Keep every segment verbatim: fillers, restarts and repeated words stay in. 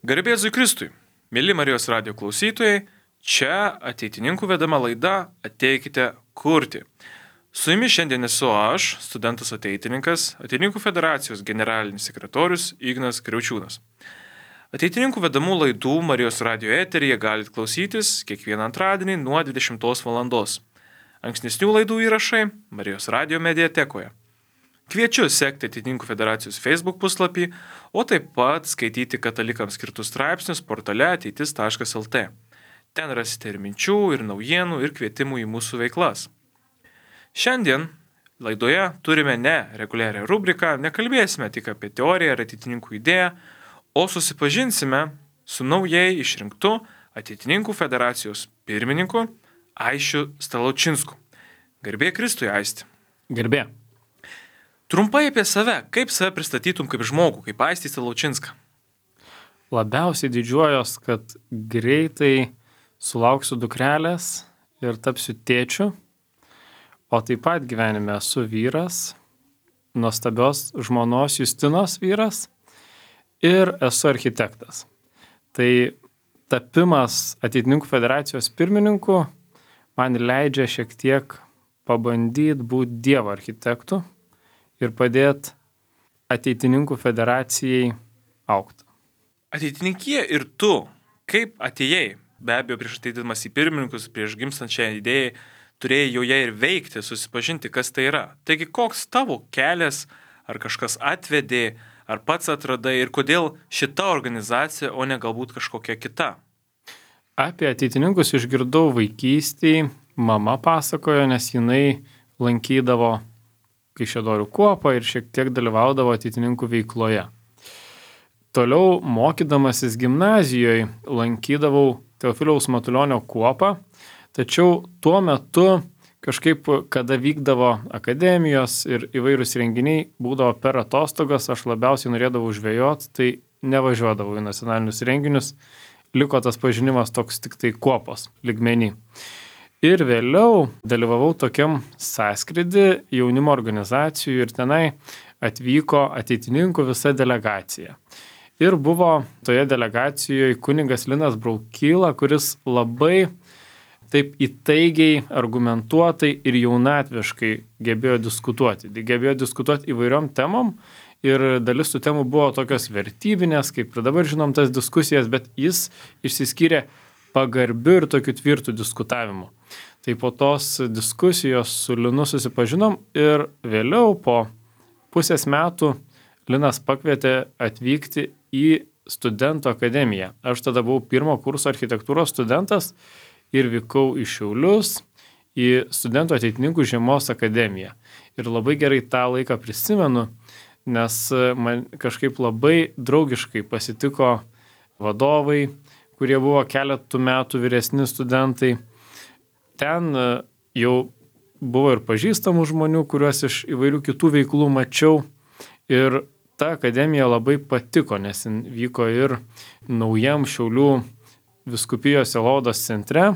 Garbė Jėzui Kristui, mėly Marijos radijo klausytojai, čia ateitininkų vedama laida Ateikite kurti. Su jumis šiandien esu aš, studentas ateitininkas, Ateitininkų federacijos generalinis sekretorius Ignas Kriaučiūnas. Ateitininkų vedamų laidų Marijos radijo eteryje galite klausytis kiekvieną antradienį nuo dvidešimtos valandos. Ankstesnių laidų įrašai Marijos radijo mediatekoje. Kviečiu sekti Ateitininkų federacijos Facebook puslapį, o taip pat skaityti katalikams skirtus straipsnius portale ateitis taškas lt. Ten rasite ir minčių, ir naujienų, ir kvietimų į mūsų veiklas. Šiandien laidoje turime ne reguliarią rubriką, nekalbėsime tik apie teoriją ar ateitininkų idėją, o susipažinsime su naujai išrinktu Ateitininkų federacijos pirmininku Aisčiu Stalaučinsku. Garbė Kristui, Aisti. Garbė. Trumpai apie save, kaip save pristatytum kaip žmogų, kaip Aistį Stalaučinską? Labiausiai didžiuojos, kad greitai sulauksiu dukrelės ir tapsiu tėčiu, o taip pat gyvenime esu vyras, nuostabios žmonos Justinos vyras ir esu architektas. Tai tapimas Ateitininkų federacijos pirmininku man leidžia šiek tiek pabandyti būti Dievo architektu ir padėti Ateitininkų federacijai augti. Ateitininkija ir tu, kaip atėjai, be abejo prieš ateidamas į pirmininkus, prieš gimstant šią idėją, turėjai joje ir veikti, susipažinti, kas tai yra. Taigi koks tavo kelias, ar kažkas atvedė, ar pats atradai ir kodėl šita organizacija, o ne galbūt kažkokia kita? Apie ateitininkus išgirdau vaikystėje, mama pasakojo, nes jinai lankydavo Kaišiadorių kuopą ir šiek tiek dalyvaudavo ateitininkų veikloje. Toliau mokydamasis gimnazijoje lankydavau Teofiliaus Matulionio kuopą, tačiau tuo metu kažkaip, kada vykdavo akademijos ir įvairūs renginiai, būdavo per atostogas, aš labiausiai norėdavau žvejoti, tai nevažiuodavau į nacionalinius renginius, liko tas pažinimas toks tik tai kuopos lygmenį. Ir vėliau dalyvavau tokiam sąskrydį jaunimo organizacijų ir tenai atvyko ateitininkų visa delegacija. Ir buvo toje delegacijoje kunigas Linas Braukyla, kuris labai taip įtaigiai, argumentuotai ir jaunatviškai gebėjo diskutuoti. Gebėjo diskutuoti įvairiom temom ir dalis tų temų buvo tokios vertybinės, kaip ir dabar žinom tas diskusijas, bet jis išsiskyrė pagarbiu ir tokiu tvirtų diskutavimu. Tai po tos diskusijos su Linu susipažinom ir vėliau po pusės metų Linas pakvietė atvykti į studentų akademiją. Aš tada buvau pirmo kurso architektūros studentas ir vykau į Šiaulius į studentų ateitininkų žiemos akademiją. Ir labai gerai tą laiką prisimenu, nes man kažkaip labai draugiškai pasitiko vadovai, kurie buvo keletų metų vyresni studentai. Ten jau buvo ir pažįstamų žmonių, kuriuos iš įvairių kitų veiklų mačiau. Ir ta akademija labai patiko, nes vyko ir naujam Šiaulių vyskupijos sielovados centre.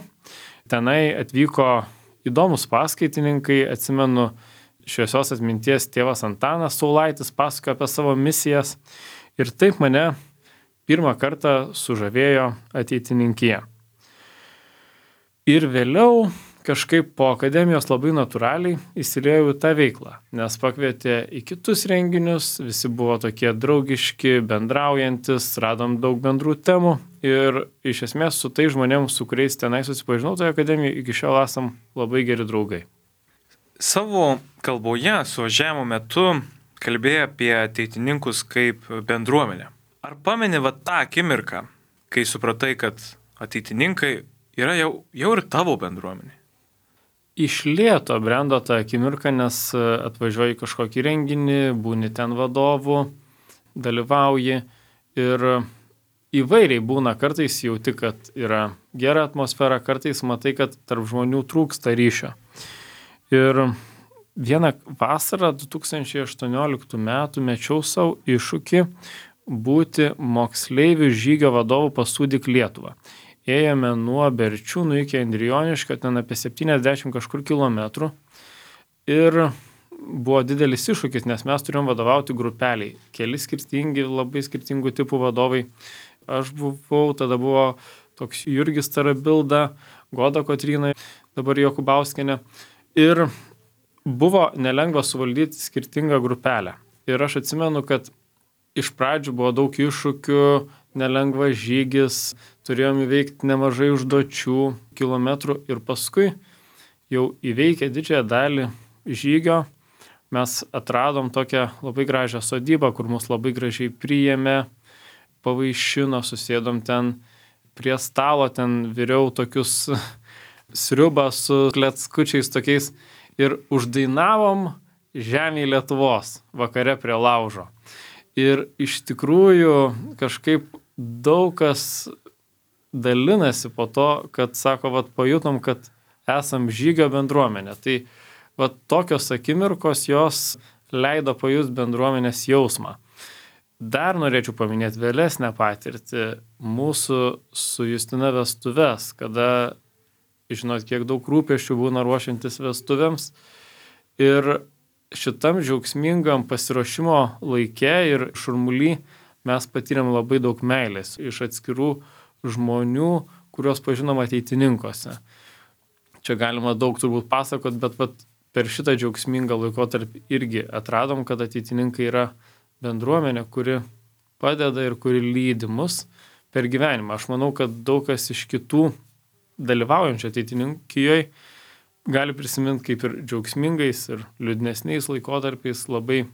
Tenai atvyko įdomus paskaitininkai, atsimenu, šviesios atminties tėvas Antanas Saulaitis pasakojo apie savo misijas. Ir taip mane pirmą kartą sužavėjo ateitininkija. Ir vėliau kažkaip po akademijos labai natūraliai įsiliejau į tą veiklą, nes pakvietė į kitus renginius, visi buvo tokie draugiški, bendraujantis, radom daug bendrų temų ir iš esmės su tai žmonėms, su kuriais tenai susipažinau toje akademijoje, iki šiol esam labai geri draugai. Savo kalboje suvažiavimo metu kalbėjai apie ateitininkus kaip bendruomenę. Ar pameni va tą akimirką, kai supratai, kad ateitininkai yra jau, jau ir tavo bendruomenė? Iš lėto brendo tą akimirką, nes atvažiuoji kažkokį renginį, būni ten vadovų, dalyvauji ir įvairiai būna, kartais jauti, kad yra gera atmosfera, kartais matai, kad tarp žmonių trūksta ryšio. Ir vieną vasarą du tūkstančiai aštuonioliktų metų mečiau savo iššūkį būti moksleivių žygio vadovų pas Sūdyk Lietuvą. Ėjome nuo Berčiūnų iki Endrijoniškio, ten apie septyniasdešimt kažkur kilometrų. Ir buvo didelis iššūkis, nes mes turėjom vadovauti grupeliai. Keli skirtingi, labai skirtingų tipų vadovai aš buvau, tada buvo toks Jurgis Tarabilda, Goda Kotryna, dabar Jokubauskienė. Ir buvo nelengva suvaldyti skirtingą grupelę. Ir aš atsimenu, kad iš pradžių buvo daug iššūkių, nelengvas žygis, turėjom įveikti nemažai užduočių, kilometrų ir paskui jau įveikę didžiąją dalį žygio, mes atradom tokią labai gražią sodybą, kur mus labai gražiai priėmė, pavaišino, susėdom ten prie stalo, ten viriau tokius sriubą su kleckučiais tokiais ir uždainavom Žemėj Lietuvos vakare prie laužo. Ir iš tikrųjų kažkaip daug kas dalinasi po to, kad sako, vat pajutom, kad esam žygio bendruomenė. Tai vat tokios akimirkos jos leido pajust bendruomenės jausmą. Dar norėčiau paminėti vėlesnę patirtį mūsų su Justina vestuves, kada, žinot, kiek daug rūpesčių būna ruošiantis vestuvėms. Ir šitam džiaugsmingam pasiruošimo laike ir šurmuly mes patyrėm labai daug meilės iš atskirų žmonių, kuriuos pažinom ateitininkuose. Čia galima daug turbūt pasakot, bet pat per šitą džiaugsmingą laikotarpį irgi atradom, kad ateitininkai yra bendruomenė, kuri padeda ir kuri lydi mus per gyvenimą. Aš manau, kad daug kas iš kitų dalyvaujančių ateitininkijoje gali prisiminti, kaip ir džiaugsmingais ir liūdnesniais laikotarpiais labai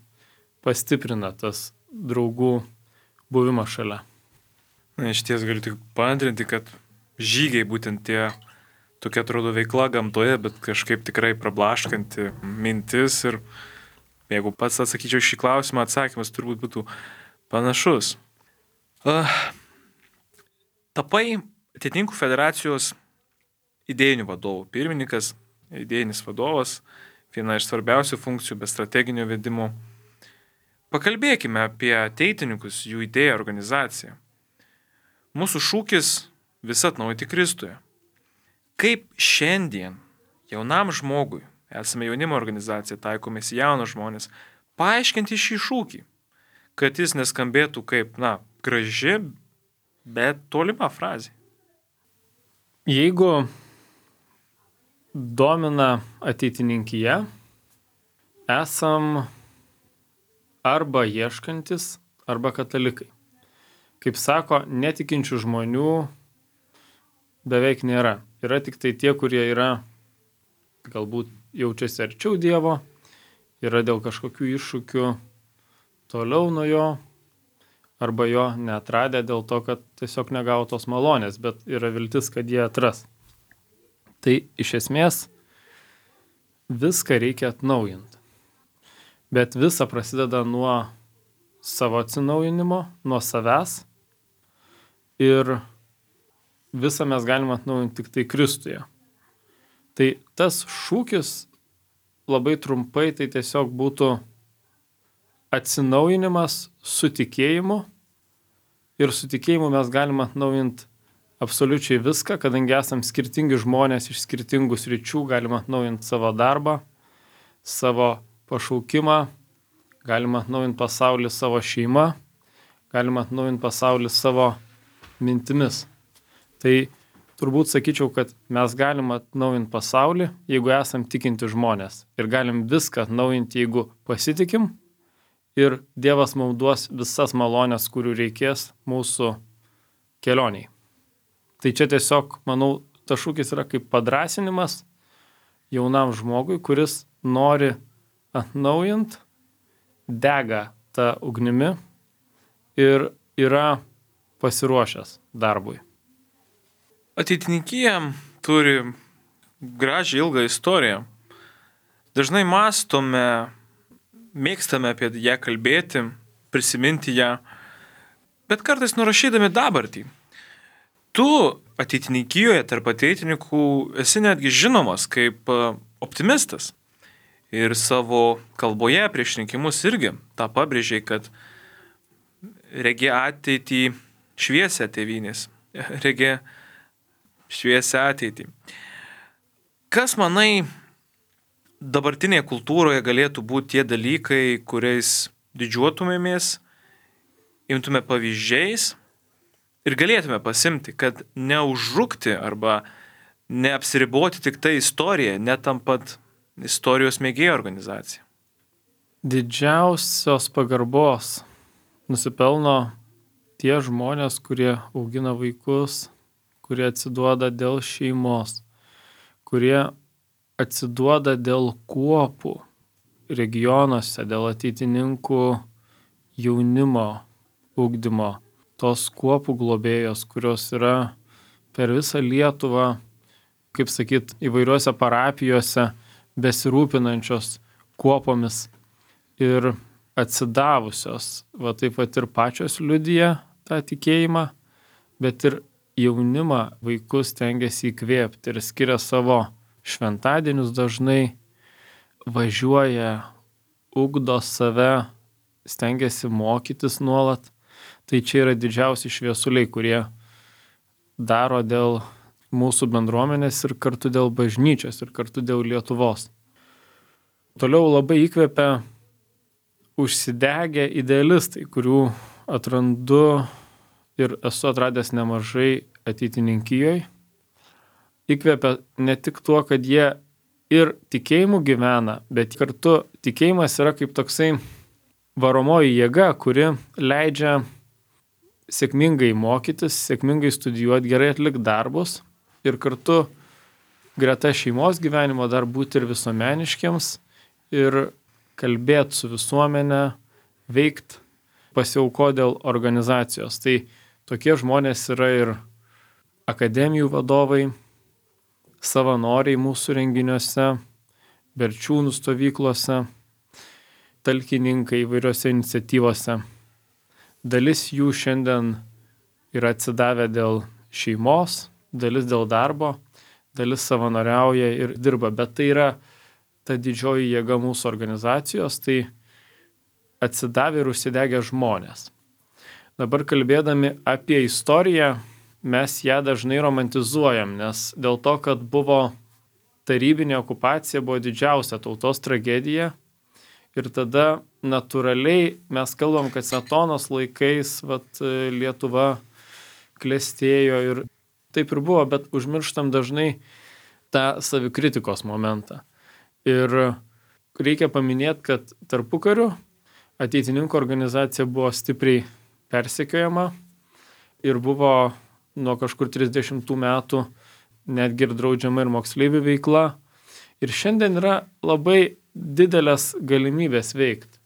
pastiprina tas draugų buvimas šalia. Na, iš ties galiu tik paantrinti, kad žygiai būtent tie tokia atrodo veikla gamtoje, bet kažkaip tikrai prablaškanti mintis ir jeigu pats atsakyčiau šį klausimą, atsakymas turbūt būtų panašus. Uh, tapai Ateitininkų federacijos idėjinių vadovų pirmininkas, idėjinis vadovas, viena iš svarbiausių funkcijų be strateginio vedimo. Pakalbėkime apie ateitininkus, jų idėją, organizaciją. Mūsų šūkis visa atnaujinti Kristuje. Kaip šiandien jaunam žmogui, esame jaunimo organizacija, taikomės jaunos žmonės, paaiškinti šį šūkį, kad jis neskambėtų kaip, na, graži, bet tolima frazė. Jeigu domina ateitininkyje, esam arba ieškantis, arba katalikai. Kaip sako, netikinčių žmonių beveik nėra. Yra tik tai tie, kurie yra galbūt jaučiasi arčiau Dievo, yra dėl kažkokių iššūkių toliau nuo jo, arba jo neatradę dėl to, kad tiesiog negavo tos malonės, bet yra viltis, kad jie atras. Tai iš esmės viską reikia atnaujinti. Bet visa prasideda nuo savo atsinaujinimo, nuo savęs ir visą mes galime atnaujinti tik tai Kristuje. Tai tas šūkis labai trumpai tai tiesiog būtų atsinaujinimas su tikėjimu ir su tikėjimu mes galime atnaujinti absoliučiai viską, kadangi esam skirtingi žmonės iš skirtingų sričių, galime atnaujinti savo darbą, savo pašaukimą, galime atnaujinti pasaulį savo šeimą, galime atnaujinti pasaulį savo mintimis. Tai turbūt sakyčiau, kad mes galim atnaujinti pasaulį, jeigu esam tikinti žmonės. Ir galim viską atnaujinti, jeigu pasitikim. Ir Dievas mums duos visas malonės, kurių reikės mūsų kelioniai. Tai čia tiesiog, manau, tas šūkis yra kaip padrasinimas jaunam žmogui, kuris nori atnaujinti, dega tą ugnimi ir yra pasiruošęs darbui. Ateitininkija turi gražią ilgą istoriją. Dažnai mąstome, mėgstame apie ją kalbėti, prisiminti ją, bet kartais nurašydami dabartį. Tu ateitininkijoje tarp ateitininkų esi netgi žinomas kaip optimistas. Ir savo kalboje prieš rinkimus irgi tą pabrėžiai, kad regi ateitį šviesią tėvynės, regi šviesią ateitį. Kas, manai, dabartinėje kultūroje galėtų būti tie dalykai, kuriais didžiuotumėmės, imtume pavyzdžiais ir galėtume pasimti, kad neužrukti arba neapsiriboti tik tai istorija, netampant istorijos mėgėjų organizacija? Didžiausios pagarbos nusipelno tie žmonės, kurie augina vaikus, kurie atsiduoda dėl šeimos, kurie atsiduoda dėl kuopų regionuose, dėl ateitininkų jaunimo ugdymo, tos kuopų globėjos, kurios yra per visą Lietuvą, kaip sakyt, įvairiuose parapijose besirūpinančios kuopomis ir atsidavusios, va taip pat ir pačios liudija tą tikėjimą, bet ir jaunimą vaikus tengiasi įkvėpti ir skiria savo šventadienius dažnai, važiuoja, ugdo save, stengiasi mokytis nuolat. Tai čia yra didžiausi šviesuliai, kurie daro dėl mūsų bendruomenės ir kartu dėl bažnyčios ir kartu dėl Lietuvos. Toliau labai įkvepia užsidegę idealistai, kurių atrandu ir esu atradęs nemažai ateitininkijoje. Įkvepia ne tik tuo, kad jie ir tikėjimu gyvena, bet kartu tikėjimas yra kaip toksai varomoji jėga, kuri leidžia sėkmingai mokytis, sėkmingai studijuoti, gerai atlikti darbus ir kartu greta šeimos gyvenimo dar būti ir visuomeniškiams ir kalbėti su visuomenė, veikti, pasiauko dėl organizacijos. Tai tokie žmonės yra ir akademijų vadovai, savanoriai mūsų renginiuose, berčiūnų stovyklose, talkininkai įvairiose iniciatyvose. Dalis jų šiandien yra atsidavę dėl šeimos, dalis dėl darbo, dalis savanoriauja ir dirba, bet tai yra ta didžioji jėga mūsų organizacijos, tai atsidavę ir užsidegę žmonės. Dabar kalbėdami apie istoriją, mes ją dažnai romantizuojam, nes dėl to, kad buvo tarybinė okupacija, buvo didžiausia tautos tragedija ir tada natūraliai mes kalbam, kad Smetonos laikais vat, Lietuva klestėjo ir taip ir buvo, bet užmirštam dažnai tą savikritikos momentą. Ir reikia paminėti, kad tarpukariu ateitininkų organizacija buvo stipriai persekiojama ir buvo nuo kažkur trisdešimtų metų netgi ir draudžiama ir moksleivių veikla. Ir šiandien yra labai didelės galimybės veikti.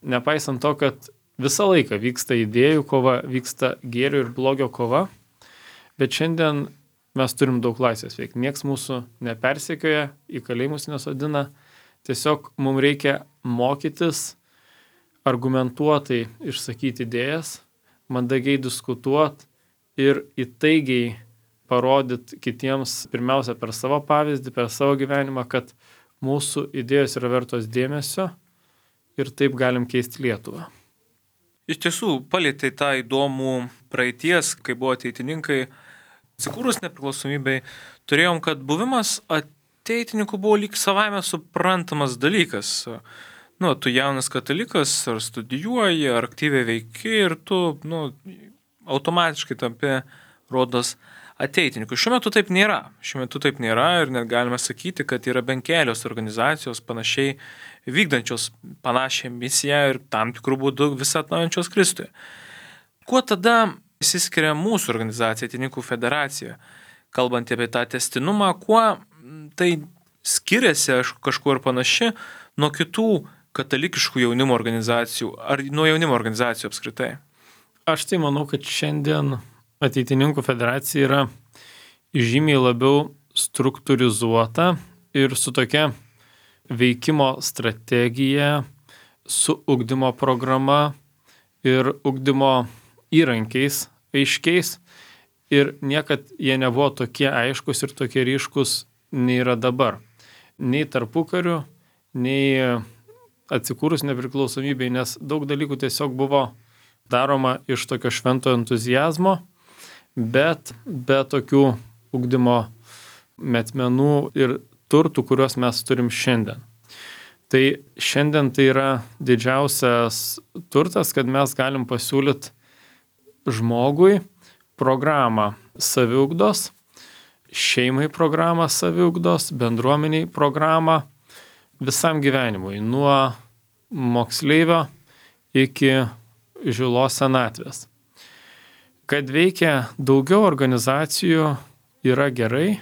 Nepaisant to, kad visą laiką vyksta idėjų kova, vyksta gėrio ir blogio kova, bet šiandien mes turim daug laisvės veikti. Niekas mūsų nepersekioja, į kalėjimus nesodina. Tiesiog mums reikia mokytis, argumentuotai išsakyti idėjas, mandagiai diskutuoti ir įtaigiai parodyti kitiems pirmiausia per savo pavyzdį, per savo gyvenimą, kad mūsų idėjos yra vertos dėmesio ir taip galim keisti Lietuvą. Iš tiesų, palietei tą įdomų praeities, kai buvo ateitininkai. Atsikūrus nepriklausomybei, turėjom, kad buvimas ateitininkų buvo lyg savaime suprantamas dalykas. Nu, tu jaunas katalikas, ar studijuoji, ar aktyviai veiki ir tu, nu, automatiškai tampi, rodos, ateitininku. Šiuo metu taip nėra. Šiuo metu taip nėra ir net galime sakyti, kad yra bent kelios organizacijos panašiai vykdančios panašią misiją ir tam tikrų būdų visą atnaujančios Kristuje. Kuo tada išsiskiria mūsų organizacija, Ateitininkų federacija, kalbant apie tą testinumą, kuo tai skiriasi kažkuo ir panaši nuo kitų katalikiškų jaunimo organizacijų ar nuo jaunimo organizacijų apskritai? Aš tai manau, kad šiandien Ateitininkų federacija yra žymiai labiau struktūrizuota ir su tokia veikimo strategija, su ugdymo programa ir ugdymo įrankiais aiškiais ir niekad jie nebuvo tokie aiškus ir tokie ryškus nei yra dabar. Nei tarpukariu, nei atsikūrus nepriklausomybei, nes daug dalykų tiesiog buvo daroma iš tokio švento entuzijazmo, bet be tokių ugdymo metmenų ir turtų, kuriuos mes turim šiandien. Tai šiandien tai yra didžiausias turtas, kad mes galim pasiūlyti žmogui programą saviugdos, šeimai programą saviugdos, bendruomeniai programą visam gyvenimui, nuo moksleivio iki žilos senatvės. Kad veikia daugiau organizacijų yra gerai,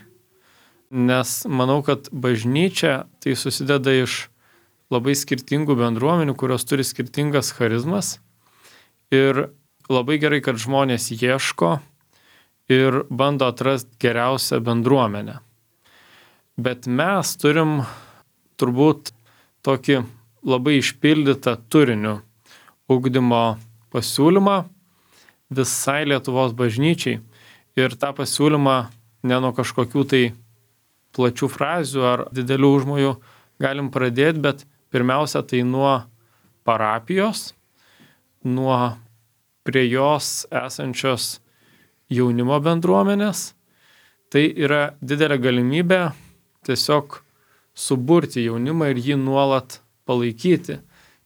nes manau, kad bažnyčia tai susideda iš labai skirtingų bendruomenių, kurios turi skirtingas charizmas. Ir labai gerai, kad žmonės ieško ir bando atrasti geriausią bendruomenę. Bet mes turim turbūt tokį labai išpildytą turinių ugdymo pasiūlymą visai Lietuvos bažnyčiai. Ir tą pasiūlymą ne nuo kažkokių tai plačių frazių ar didelių užmojų galim pradėti, bet pirmiausia tai nuo parapijos, nuo prie jos esančios jaunimo bendruomenės. Tai yra didelė galimybė tiesiog suburti jaunimą ir jį nuolat palaikyti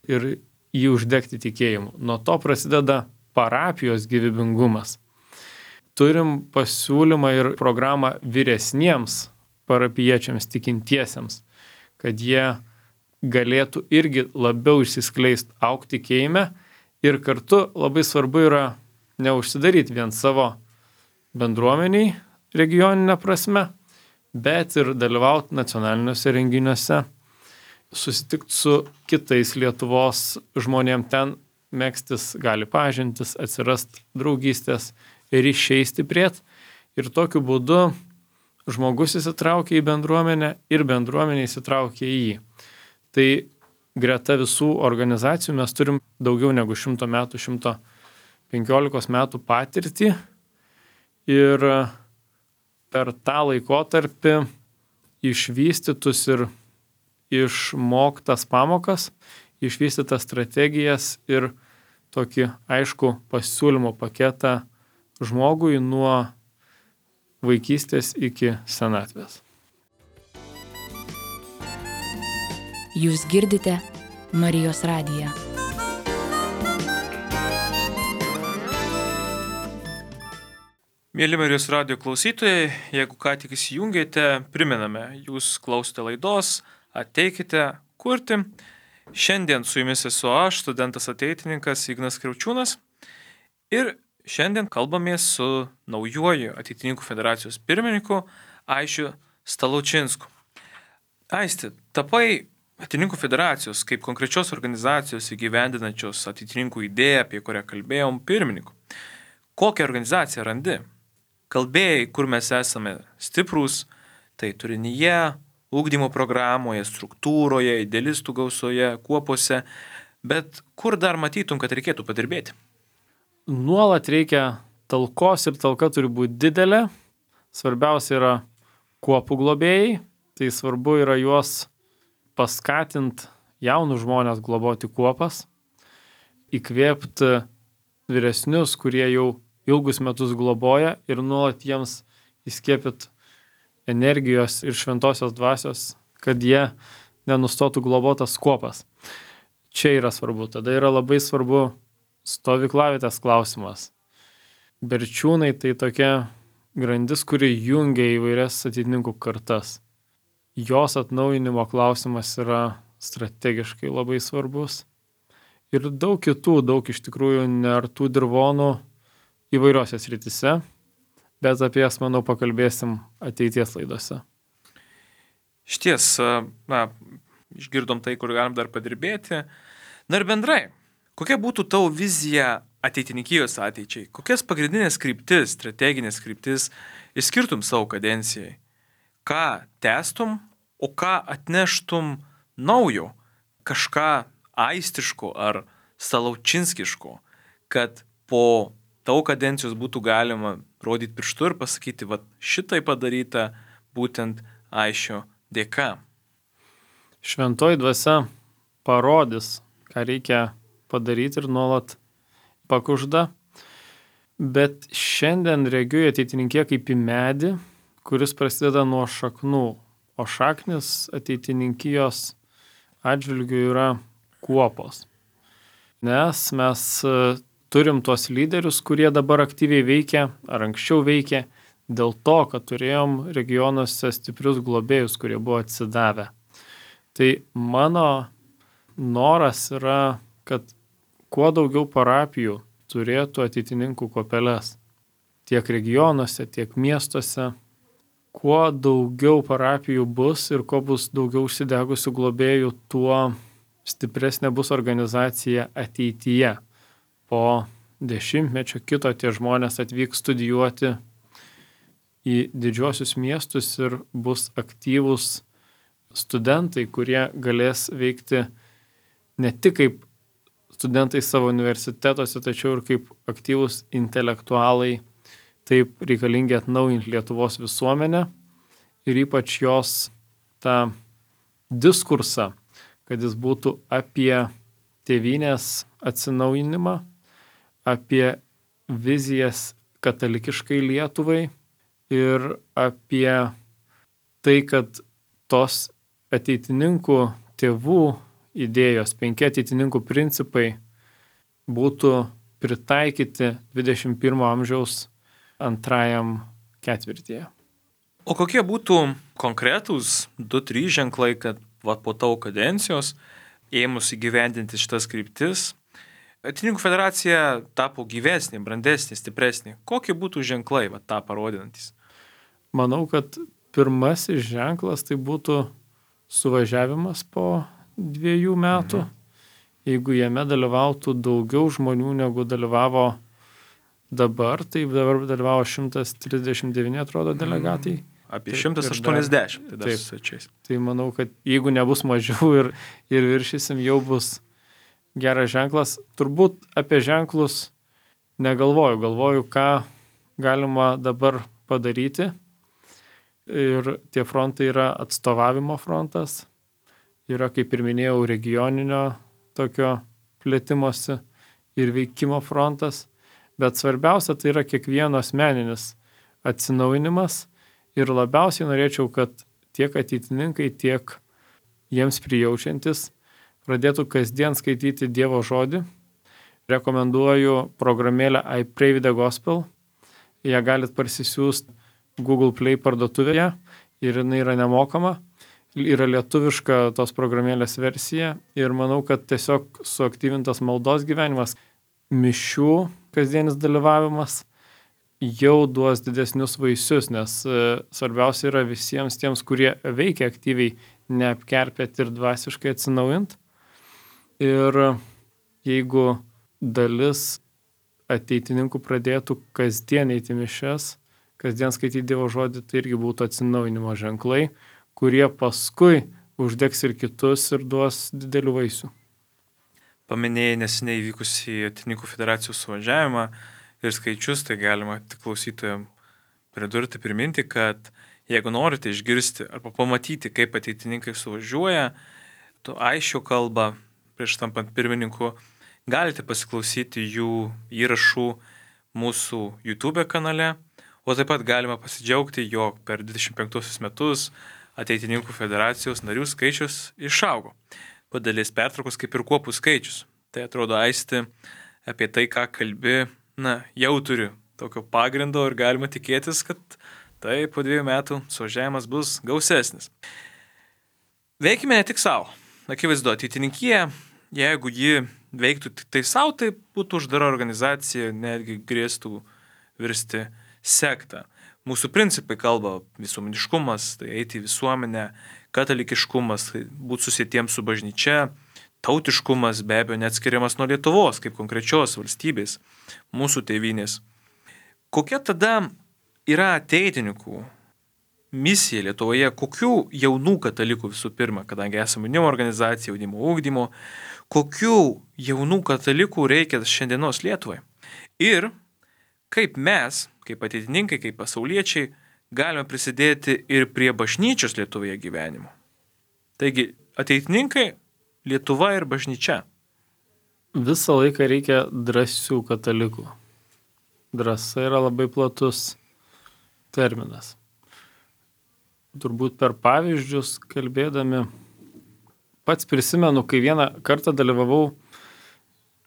ir jį uždegti tikėjimu. Nuo to prasideda parapijos gyvybingumas. Turim pasiūlymą ir programą vyresniems parapiečiams, tikintiesiems, kad jie galėtų irgi labiau išsiskleisti, augti tikėjime ir kartu labai svarbu yra neužsidaryti vien savo bendruomeniai regioninę prasme, bet ir dalyvauti nacionaliniuose renginiuose, susitikti su kitais Lietuvos žmonėm ten, megztis gali pažintis, atsirast draugystės ir išeiti stiprėt. Ir tokiu būdu žmogus įsitraukia į bendruomenę ir bendruomenė įsitraukia į jį. Tai greta visų organizacijų mes turim daugiau negu šimto metų, šimto penkiolikos metų patirtį. Ir per tą laikotarpį išvystytus ir išmoktas pamokas, išvystytas strategijas ir tokį aišku pasiūlymo paketą žmogui nuo vaikystės iki senatvės. Jūs girdite Marijos radiją. Mėly Marijos radijo klausytojai, jeigu ką tik įsijungėte, primename, jūs klausote laidos Ateikite kurti. Šiandien su jumis esu aš, studentas ateitininkas Ignas Kriaučiūnas. Ir šiandien kalbamės su naujuoju Ateitininkų federacijos pirmininku Aišiu Staločinsku. Aisti, tapai Ateitininkų federacijos kaip konkrečios organizacijos įgyvendinančios ateitininkų idėją, apie kurią kalbėjom, pirmininku. Kokią organizaciją randi? Kalbėjai, kur mes esame stiprūs, tai turinyje, ugdymo programoje, struktūroje, idealistų gausoje, kuopose, bet kur dar matytum, kad reikėtų padirbėti? Nuolat reikia talkos ir talka turi būti didelė. Svarbiausia yra kuopų globėjai, tai svarbu yra juos paskatinti jaunus žmonės globoti kuopas, įkvėpti vyresnius, kurie jau ilgus metus globoja ir nuolat jiems įskiepyti energijos ir šventosios dvasios, kad jie nenustotų globotas kuopas. Čia yra svarbu. Tada yra labai svarbu stovyklavietės klausimas. Berčiūnai tai tokia grandis, kuri jungia įvairias ateitininkų kartas. Jos atnaujinimo klausimas yra strategiškai labai svarbus. Ir daug kitų, daug iš tikrųjų neartų dirvonų įvairiose srityse, bet apie jas, manau, pakalbėsim ateities laidose. Šties, na, išgirdom tai, kur galim dar padirbėti. Na ir bendrai, kokia būtų tavo vizija ateitininkijos ateičiai? Kokias pagrindinės kryptis, strateginės kryptis išskirtum savo kadencijai? Ką tęstum, o ką atneštum naujo? Kažką aistiško ar staločinskiško, kad po tavo kadencijos būtų galima rodyti pirštu ir pasakyti, va šitai padaryta būtent Aišio dėka. Šventoji dvasia parodys, ką reikia padaryti ir nuolat pakužda, bet šiandien regiu ateitininkė kaip į medį, kuris prasideda nuo šaknų, o šaknis ateitininkijos atžvilgių yra kuopos. Nes mes turim tuos lyderius, kurie dabar aktyviai veikia ar anksčiau veikia, dėl to, kad turėjom regionuose stiprius globėjus, kurie buvo atsidavę. Tai mano noras yra, kad kuo daugiau parapijų turėtų ateitininkų kuopeles. Tiek regionuose, tiek miestuose. Kuo daugiau parapijų bus ir kuo bus daugiau užsidegusių globėjų, tuo stipresnė bus organizacija ateityje. Po dešimtmečio kito tie žmonės atvyks studijuoti į didžiuosius miestus ir bus aktyvūs studentai, kurie galės veikti ne tik kaip studentai savo universitetuose, tačiau ir kaip aktyvūs intelektualai, taip reikalingi atnaujinti Lietuvos visuomenę ir ypač jos tą diskursą, kad jis būtų apie tėvynės atsinaujinimą, apie vizijas katalikiškai Lietuvai ir apie tai, kad tos ateitininkų tėvų idėjos, penki ateitininkų principai būtų pritaikyti dvidešimt pirmo amžiaus antrajam ketvirtyje. O kokie būtų konkretūs du trys ženklai, kad va, po tavo kadencijos ėmus įgyvendinti šitas kryptis, Ateitininkų federacija tapo gyvesnė, brandesnė, stipresnė. Kokie būtų ženklai va, tą parodinantis? Manau, kad pirmasis ženklas tai būtų suvažiavimas po dviejų metų. Mhm. Jeigu jame dalyvautų daugiau žmonių negu dalyvavo dabar, tai dabar dalyvavo šimtas trisdešimt devyni, atrodo, delegatai. Apie šimtas aštuoniasdešimt. Tai, dar taip, tai manau, kad jeigu nebus mažiau ir, ir viršysim, jau bus geras ženklas. Turbūt apie ženklus negalvoju. Galvoju, ką galima dabar padaryti. Ir tie frontai yra atstovavimo frontas. Yra, kaip ir minėjau, regioninio tokio plėtimosi ir veikimo frontas. Bet svarbiausia tai yra kiekvieno asmeninis atsinaujinimas. Ir labiausiai norėčiau, kad tiek ateitininkai, tiek jiems prijaučiantis pradėtų kasdien skaityti Dievo žodį. Rekomenduoju programėlę I Pray with the Gospel. Ją galit parsisiųsti Google Play parduotuvėje ir jinai yra nemokama. Yra lietuviška tos programėlės versija ir manau, kad tiesiog suaktyvintas maldos gyvenimas, mišių kasdienis dalyvavimas jau duos didesnius vaisius, nes svarbiausia yra visiems tiems, kurie veikia aktyviai, neapkerpėti ir dvasiškai atsinaujint. Ir jeigu dalis ateitininkų pradėtų kasdien eiti mišias, kasdien skaityti Dievo žodį, tai irgi būtų atsinaujinimo ženklai, kurie paskui uždegs ir kitus ir duos didelių vaisių. Paminėjai neseniai vykusį Ateitininkų federacijos suvažiavimą ir skaičius, tai galima tik klausytojams pridurti, priminti, kad jeigu norite išgirsti arba pamatyti, kaip ateitininkai suvažiuoja, tu aiškiau kalbą prieš tampant pirmininku, galite pasiklausyti jų įrašų mūsų YouTube kanale, o taip pat galima pasidžiaugti, jog per dvidešimt penktuosius metus Ateitininkų federacijos narių skaičius išaugo. Padėlės pertraukos kaip ir kuopų skaičius. Tai atrodo aisti apie tai, ką kalbi, na, jau turi tokio pagrindo ir galima tikėtis, kad tai po dviejų metų suvažiavimas bus gausesnis. Veikime ne tik savo. Akivaizdu, ateitininkija, jeigu ji veiktų tik tai savo, tai būtų uždara organizacija, netgi grėstų virsti sektą. Mūsų principai kalba visuomeniškumas, tai eiti į visuomenę, katalikiškumas, tai būti susietiems su bažnyčia, tautiškumas be abejo neatskiriamas nuo Lietuvos, kaip konkrečios valstybės, mūsų tėvynės. Kokia tada yra ateitininkų misija Lietuvoje, kokių jaunų katalikų visų pirma, kadangi esame jaunimo organizacija, jaunimo ugdymo, kokių jaunų katalikų reikia šiandienos Lietuvai? Ir kaip mes, kaip ateitininkai, kaip pasauliečiai, galime prisidėti ir prie bažnyčios Lietuvoje gyvenimo. Taigi, ateitininkai, Lietuva ir bažnyčia. Visą laiką reikia drąsių katalikų. Drąsa yra labai platus terminas. Turbūt per pavyzdžius kalbėdami, pats prisimenu, kai vieną kartą dalyvavau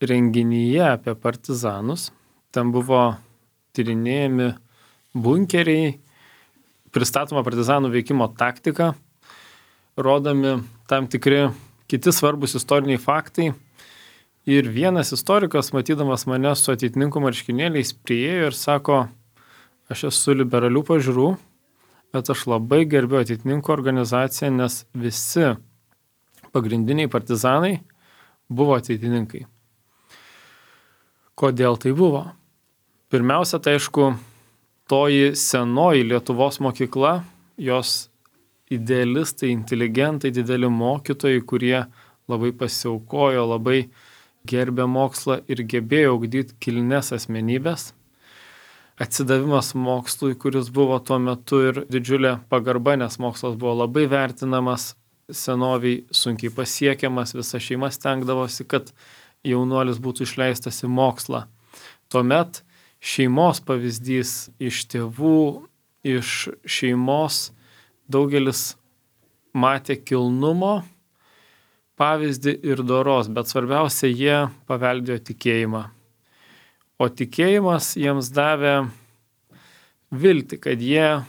renginyje apie partizanus. Ten buvo tyrinėjami bunkeriai, pristatoma partizanų veikimo taktika, rodomi tam tikri kiti svarbus istoriniai faktai. Ir vienas istorikas, matydamas mane su ateitininkų marškinėliais, priėjo ir sako, aš esu liberalių pažiūrų, bet aš labai gerbiu ateitininkų organizaciją, nes visi pagrindiniai partizanai buvo ateitininkai. Kodėl tai buvo? Pirmiausia, tai aišku, toji senoji Lietuvos mokykla, jos idealistai, inteligentai, dideli mokytojai, kurie labai pasiaukojo, labai gerbė mokslą ir gebėjo ugdyti kilnes asmenybės. Atsidavimas mokslui, kuris buvo tuo metu ir didžiulė pagarba, nes mokslas buvo labai vertinamas, senoviai sunkiai pasiekiamas, visa šeima stengdavosi, kad jaunuolis būtų išleistas į mokslą. Tuomet šeimos pavyzdys iš tėvų, iš šeimos daugelis matė kilnumo pavyzdį ir doros, bet svarbiausia, jie paveldėjo tikėjimą. O tikėjimas jiems davė viltį, kad jie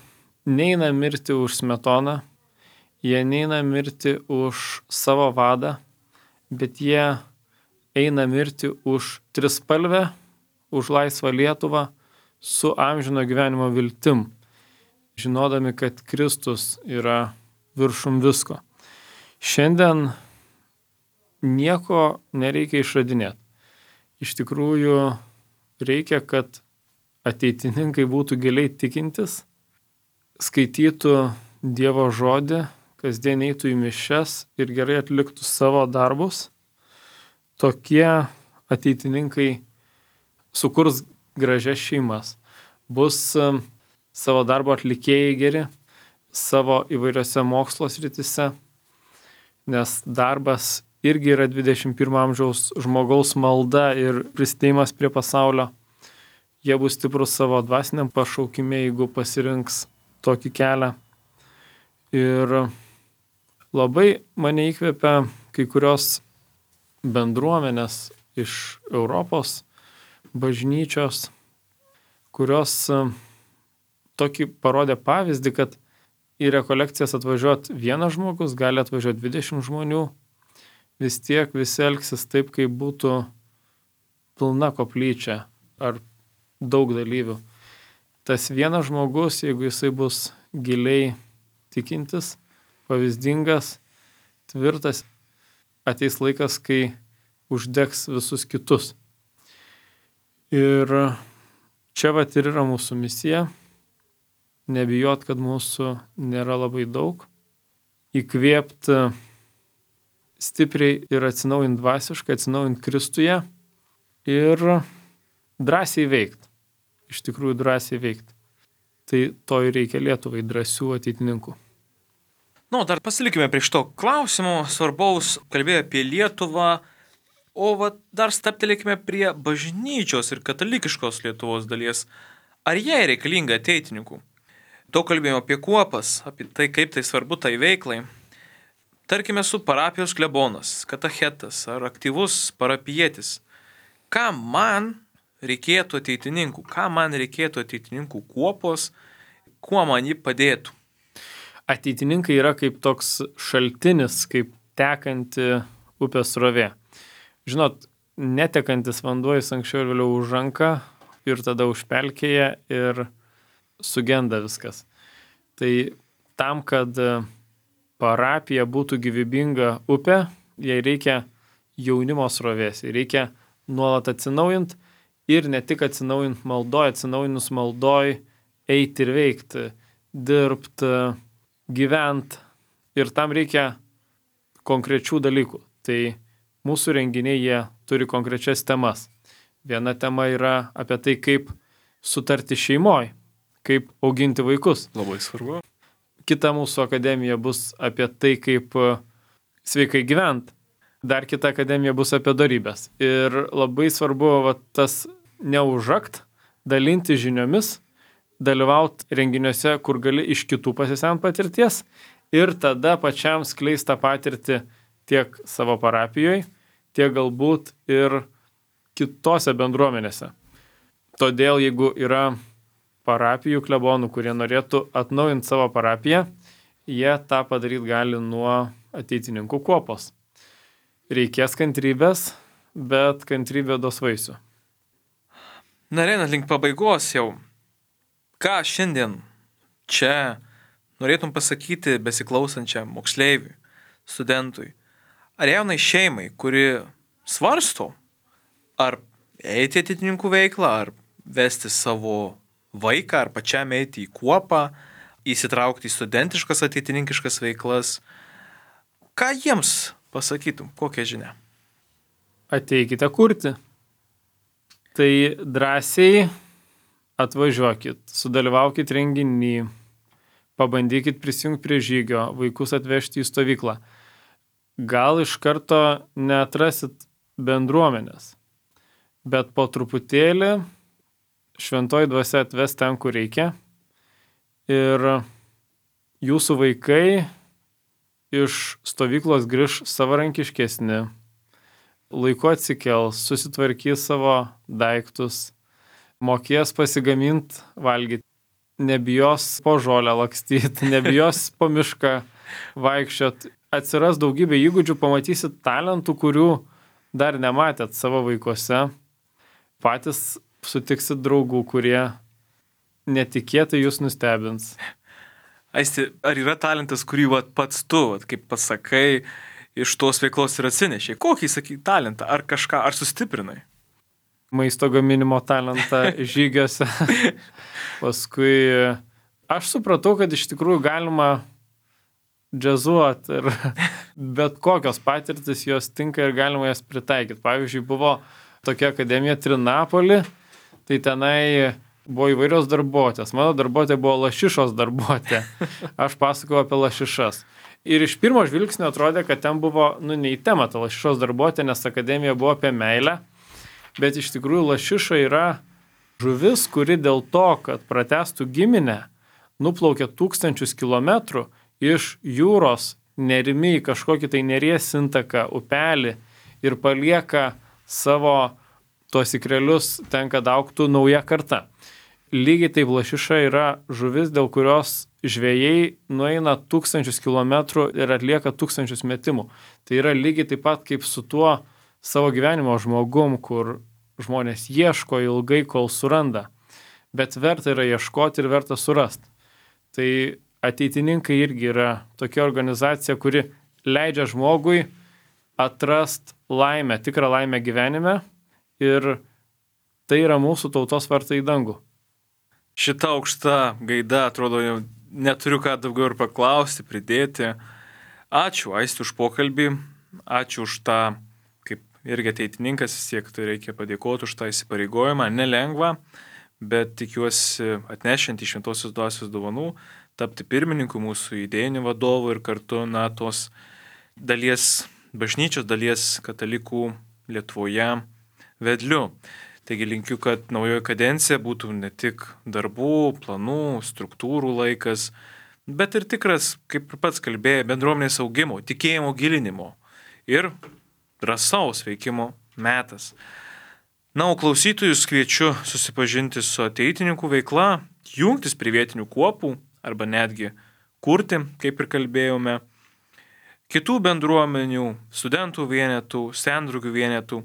neina mirti už Smetoną, jie neina mirti už savo vadą, bet jie eina mirti už trispalvę, už laisvą Lietuvą su amžino gyvenimo viltim, žinodami, kad Kristus yra viršum visko. Šiandien nieko nereikia išradinėti. Iš tikrųjų, reikia, kad ateitininkai būtų giliai tikintis, skaitytų Dievo žodį, kasdien eitų į mišias ir gerai atliktų savo darbus. Tokie ateitininkai sukurs gražias šeimas, bus savo darbo atlikėjai geri, savo įvairiose mokslo srityse, nes darbas irgi yra dvidešimt pirmo amžiaus žmogaus malda ir prisidėjimas prie pasaulio. Jie bus stiprus savo dvasiniam pašaukime, jeigu pasirinks tokį kelią. Ir labai mane įkvepia kai kurios bendruomenės iš Europos bažnyčios, kurios tokį parodė pavyzdį, kad į rekolekcijas atvažiuot vienas žmogus, gali atvažiuoti dvidešimt žmonių, vis tiek visi elgsis taip, kaip būtų pilna koplyčia ar daug dalyvių. Tas vienas žmogus, jeigu jisai bus giliai tikintis, pavyzdingas, tvirtas, ateis laikas, kai uždegs visus kitus. Ir čia vat ir yra mūsų misija. Nebijot, kad mūsų nėra labai daug. Įkvėpti stipriai ir atsinaujint dvasiškai, atsinaujint Kristuje ir drąsiai veikti. Iš tikrųjų drąsiai veikti. Tai to ir reikia Lietuvai, drąsių ateitininkų. Nu, dar pasilikime prie šito klausimo, svarbaus, kalbėjo apie Lietuvą, o va, dar staptelėkime prie bažnyčios ir katalikiškos Lietuvos dalies. Ar jai reikalinga ateitininkų? Daug kalbėjome apie kuopas, apie tai, kaip tai svarbu tai veiklai. Tarkime, su parapijos klebonas, katechetas ar aktyvus parapietis. Ką man reikėtų ateitininkų? Ką man reikėtų ateitininkų kuopos? Kuo man jį padėtų? Ateitininkai yra kaip toks šaltinis, kaip tekanti upės srovė. Žinot, netekantis vanduo jis anksčiau ir vėliau užranka ir tada užpelkėja ir sugenda viskas. Tai tam, kad parapija būtų gyvybinga upė, jai reikia jaunimo srovės, jai reikia nuolat atsinaujint ir ne tik atsinaujint maldoj, atsinaujinus maldoj eiti ir veikti, dirbti, gyventi ir tam reikia konkrečių dalykų. Tai mūsų renginiai jie turi konkrečias temas. Viena tema yra apie tai, kaip sutarti šeimoje, kaip auginti vaikus. Labai svarbu. Kita mūsų akademija bus apie tai, kaip sveikai gyventi. Dar kita akademija bus apie dorybės. Ir labai svarbu va, tas neužakt, dalinti žiniomis, dalyvauti renginiuose, kur gali iš kitų pasisemti patirties ir tada pačiam skleisti tą patirtį tiek savo parapijoje, tiek galbūt ir kitose bendruomenėse. Todėl jeigu yra parapijų klebonų, kurie norėtų atnaujinti savo parapiją, jie tą padaryti gali nuo ateitininkų kuopos. Reikės kantrybės, bet kantrybė duos vaisių. Na, einant link pabaigos jau, ką šiandien čia norėtum pasakyti besiklausančiam moksleiviui, studentui, ar jaunai šeimai, kuri svarsto, ar eiti ateitininkų veiklą, ar vesti savo vaiką, ar pačiam eiti į kuopą, įsitraukti į studentiškas ateitininkiškas veiklas. Ką jiems pasakytum, kokią žinią? Ateikite kurti. Tai drąsiai atvažiuokit, sudalyvaukit renginį, pabandykit prisijungti prie žygio, vaikus atvežti į stovyklą. Gal iš karto neatrasit bendruomenės, bet po truputėlį šventoji dvasia atves ten, kur reikia. Ir jūsų vaikai iš stovyklos grįž savarankiškesni, laiku atsikels, susitvarkys savo daiktus, mokės pasigaminti, valgyti, nebijos po žolę lakstyti, nebijos po mišką vaikščiot. Atsiras daugybė įgūdžių, pamatysit talentų, kurių dar nematėt savo vaikuose. Patys sutiksit draugų, kurie netikėtai jūs nustebins. Aisti, ar yra talentas, kurį vat, pats tu, vat, kaip pasakai, iš tos veiklos ir atsinešiai? Kokį, sakai, talentą? Ar kažką, ar sustiprinai? Maisto gaminimo talentą žygiuose. Paskui aš supratau, kad iš tikrųjų galima džiazuoti ir bet kokios patirtis jos tinka ir galima jas pritaikyti. Pavyzdžiui, buvo tokia akademija Trinapoli, tai tenai buvo įvairios darbuotės. Mano darbuotė buvo lašišos darbuotė. Aš pasakojau apie lašišas. Ir iš pirmo žvilgsnio atrodė, kad ten buvo, nu, ne į temą ta lašišos darbuotė, nes akademija buvo apie meilę. Bet iš tikrųjų lašiša yra žuvis, kuri dėl to, kad pratęstų giminę, nuplaukė tūkstančius kilometrų iš jūros nerimi į kažkokį tai neries intaką, upelį ir palieka savo tuos ikrelius ten, kad augtų nauja karta. Lygiai taip lašiša yra žuvis, dėl kurios žvejai nueina tūkstančius kilometrų ir atlieka tūkstančius metimų. Tai yra lygiai taip pat kaip su tuo savo gyvenimo žmogum, kur žmonės ieško ilgai, kol suranda. Bet verta yra ieškoti ir verta surasti. Tai ateitininkai irgi yra tokia organizacija, kuri leidžia žmogui atrast laimę, tikrą laimę gyvenime ir tai yra mūsų tautos vartai į dangų. Šita aukšta gaida, atrodo, jau neturiu ką daugiau ir paklausti, pridėti. Ačiū, Aisti, už pokalbį, ačiū už tą, kaip irgi ateitininkas, vis tiek tai reikia padėkoti už tą įsipareigojimą, nelengva, bet tikiuosi atnešant iš šventosios dvasios dovanų, tapti pirmininku mūsų idėjinių vadovų ir kartu, na, tos dalies bažnyčios, dalies katalikų Lietuvoje vedliu. Taigi linkiu, kad naujoji kadencija būtų ne tik darbų, planų, struktūrų laikas, bet ir tikras, kaip ir pats kalbėjai, bendruomenės augimo, tikėjimo gilinimo ir drąsaus veikimo metas. Na, o klausytojus kviečiu susipažinti su ateitininkų veikla, jungtis prie vietinių kuopų arba netgi kurti, kaip ir kalbėjome, kitų bendruomenių, studentų vienetų, sendrugių vienetų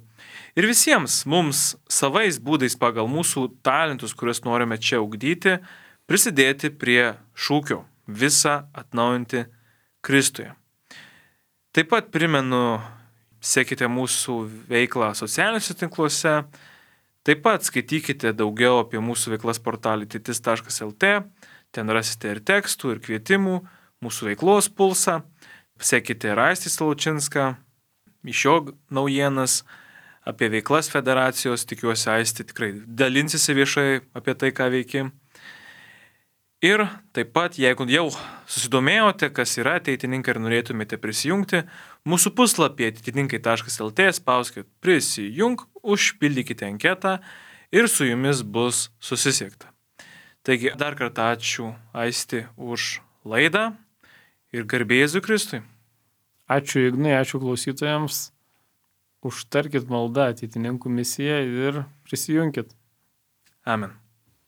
ir visiems mums savais būdais pagal mūsų talentus, kuriuos norime čia ugdyti, prisidėti prie šūkio visą atnaujinti Kristuje. Taip pat primenu, sekite mūsų veiklą socialiniuose tinkluose, taip pat skaitykite daugiau apie mūsų veiklas portalį titis taškas lt, ten rasite ir tekstų, ir kvietimų, mūsų veiklos pulsą. Sekite ir Aistį Salučinską, iš jo naujienas apie veiklas federacijos, tikiuosi Aisti tikrai dalinsisi viešai apie tai, ką veiki. Ir taip pat, jeigu jau susidomėjote, kas yra ateitininkai ir norėtumėte prisijungti, mūsų puslapį ateitininkai taškas lt spauskite prisijung, užpildykite anketą ir su jumis bus susisiekta. Taigi dar kartą ačiū Aisti už laidą. Ir garbė Jėzui Kristui. Ačiū Ignai, ačiū klausytojams. užtarkit maldą ateitininkų misiją ir prisijunkit. Amen.